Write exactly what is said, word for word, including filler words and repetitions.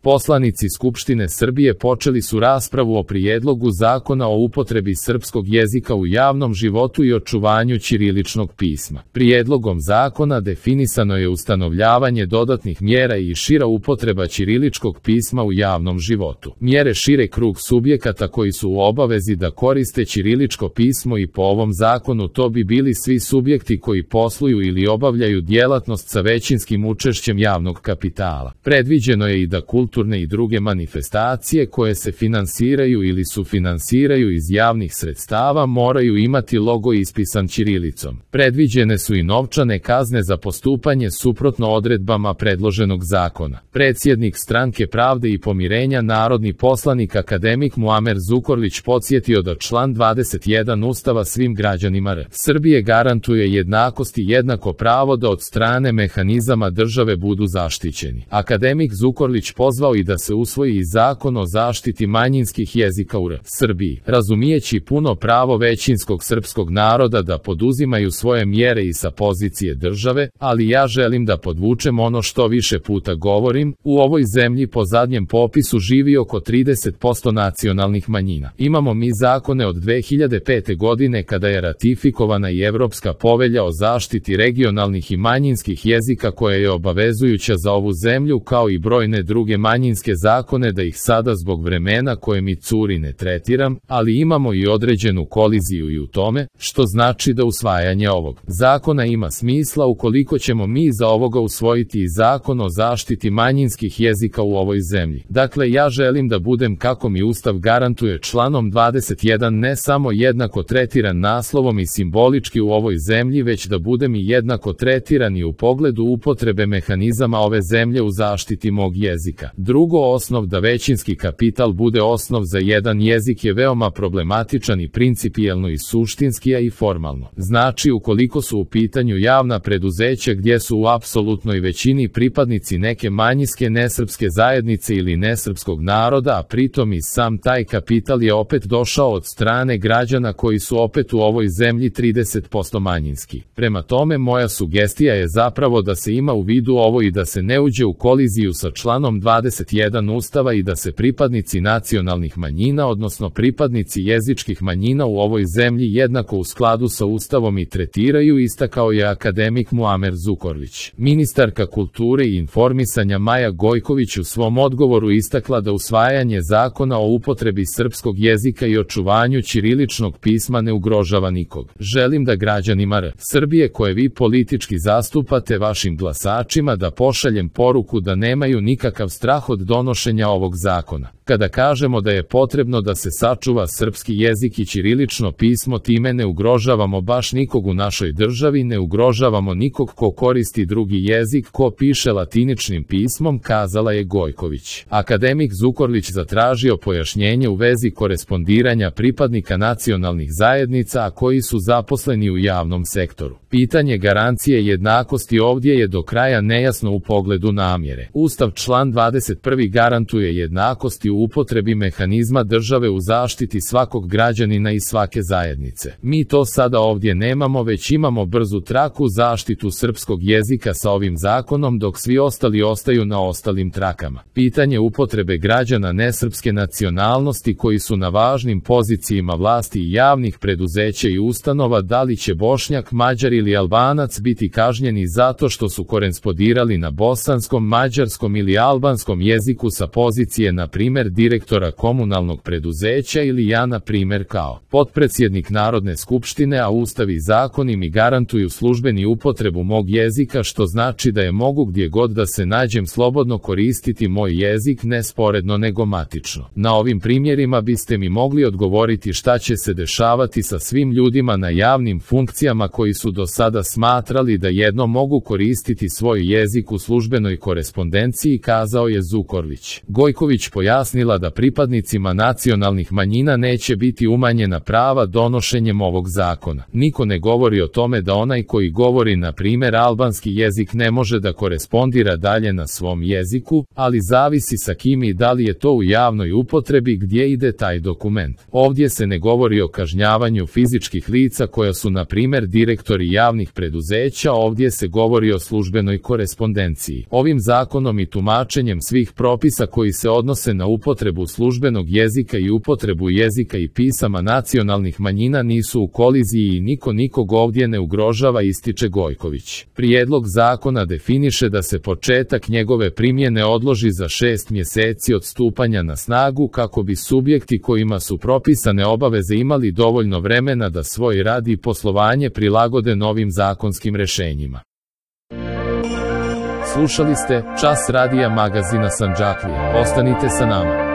Poslanici Skupštine Srbije počeli su raspravu o prijedlogu zakona o upotrebi srpskog jezika u javnom životu i očuvanju ćiriličnog pisma. Prijedlogom zakona definisano je ustanovljavanje dodatnih mjera i šira upotreba ćiriličkog pisma u javnom životu. Mjere šire krug subjekata koji su u obavezi da koriste ćiriličko pismo i po ovom zakonu to bi bili svi subjekti koji posluju ili obavljaju djelatnost sa većinskim učešćem javnog kapitala. Predviđeno je i da kulturne i druge manifestacije koje se finansiraju ili sufinansiraju iz javnih sredstava moraju imati logo ispisan ćirilicom. Predviđene su i novčane kazne za postupanje suprotno odredbama predloženog zakona. Predsjednik Stranke pravde i pomirenja narodni poslanik akademik Muamer Zukorlić podsjetio da član dvadeset jedan Ustava svim građanima R. Srbije garantuje jednakost i jednako pravo da od strane mehanizama države budu zaštićeni. Akademik Zukorlić pozvao i da se usvoji i zakon o zaštiti manjinskih jezika u R. Srbiji, razumijeći puno pravo većinskog srpskog naroda da poduzimaju svoje mjere i sa pozicije države, ali ja želim da podvučem ono što više puta govorim, u ovoj zemlji po zadnjem popisu živi oko trideset posto nacionalnih manjina. Imamo mi zakone od dve hiljade pete godine kada je ratifikovana i Evropska povelja o zaštiti regionalnih i manjinskih jezika koja je obavezujuća za ovu zemlju kao i brojne druge manjinske zakone da ih sada zbog vremena koje mi curi ne tretiram, ali imamo i određenu koliziju i u tome, što znači da usvajanje ovog zakona ima smisla ukoliko ćemo mi za ovoga usvojiti i zakon o zaštiti manjinskih jezika u ovoj zemlji. Dakle, ja želim da budem kako mi Ustav garantuje članom dvadeset jedan ne samo jednako tretiran naslovom i simbolički u ovoj zemlji, već da budem i jednako tretiran i u pogledu upotrebe mehanizama ove zemlje u zaštiti mog jezika. Drugo, osnov da većinski kapital bude osnov za jedan jezik je veoma problematičan i principijelno i suštinski, a i formalno. Znači, ukoliko su u pitanju javna preduzeća gdje su u apsolutnoj većini pripadnici neke manjinske nesrpske zajednice ili nesrpskog naroda, a pritom i sam taj kapital je opet došao od strane građana koji su opet u ovoj zemlji trideset posto manjinski. Prema tome, moja sugestija je zapravo da se ima u vidu ovo i da se ne uđe u koliziju sa članom dvadeset jedan Ustava i da se pripadnici nacionalnih manjina, odnosno pripadnici jezičkih manjina u ovoj zemlji jednako u skladu sa Ustavom i tretiraju, istakao je akademik Muamer Zukorlić. Ministarka kulture i informisanja Maja Gojković u svom odgovoru istakla da usvajanje zakona o upotrebi srpskog jezika i očuvanju ćiriličnog pisma ne ugrožava nikog. Želim da građanima R. Srbije koje vi politički zastupate vašim glasačima da pošaljem poruku da nemaju nikakav strah od donošenja ovog zakona. Kada kažemo da je potrebno da se sačuva srpski jezik i ćirilično pismo, time ne ugrožavamo baš nikog u našoj državi, ne ugrožavamo nikog ko koristi drugi jezik, ko piše latiničnim pismom, kazala je Gojković. Akademik Zukorlić zatražio pojašnjenje u vezi korespondiranja pripadnika nacionalnih zajednica, a koji su zaposleni u javnom sektoru. Pitanje garancije jednakosti ovdje je do kraja nejasno u pogledu namjere. Ustav član dvadeset prvi garantuje jednakost u upotrebi mehanizma države u zaštiti svakog građanina i svake zajednice. Mi to sada ovdje nemamo, već imamo brzu traku zaštitu srpskog jezika sa ovim zakonom, dok svi ostali ostaju na ostalim trakama. Pitanje upotrebe građana nesrpske nacionalnosti koji su na važnim pozicijama vlasti i javnih preduzeća i ustanova, da li će Bošnjak, Mađar ili Albanac biti kažnjeni zato što su korespondirali na bosanskom, mađarskom ili albanskom jeziku sa pozicije na primjer direktora komunalnog preduzeća ili ja na primjer kao potpredsjednik Narodne skupštine, a Ustav i zakoni mi garantuju službeni upotrebu mog jezika, što znači da je mogu gdje god da se nađem slobodno koristiti moj jezik, ne sporedno nego matično. Na ovim primjerima biste mi mogli odgovoriti šta će se dešavati sa svim ljudima na javnim funkcijama koji su do sada smatrali da jedno mogu koristiti svoj jezik u službenoj korespondenciji, kazao je Zukorlić. Gojković pojasnio objasnila da pripadnicima nacionalnih manjina neće biti umanjena prava donošenjem ovog zakona. Niko ne govori o tome da onaj koji govori na primjer albanski jezik ne može da korespondira dalje na svom jeziku, ali zavisi sa kim i da li je to u javnoj upotrebi gdje ide taj dokument. Ovdje se ne govori o kažnjavanju fizičkih lica koja su na primjer direktori javnih preduzeća, ovdje se govori o službenoj korespondenciji. Ovim zakonom i tumačenjem svih propisa koji se odnose na upotrebu službenog jezika i upotrebu jezika i pisama nacionalnih manjina nisu u koliziji i niko nikog ovdje ne ugrožava, ističe Gojković. Prijedlog zakona definiše da se početak njegove primjene odloži za šest mjeseci od stupanja na snagu kako bi subjekti kojima su propisane obaveze imali dovoljno vremena da svoj rad i poslovanje prilagode novim zakonskim rješenjima. Slušali ste Čas radija magazina Sandžaklije. Ostanite sa nama.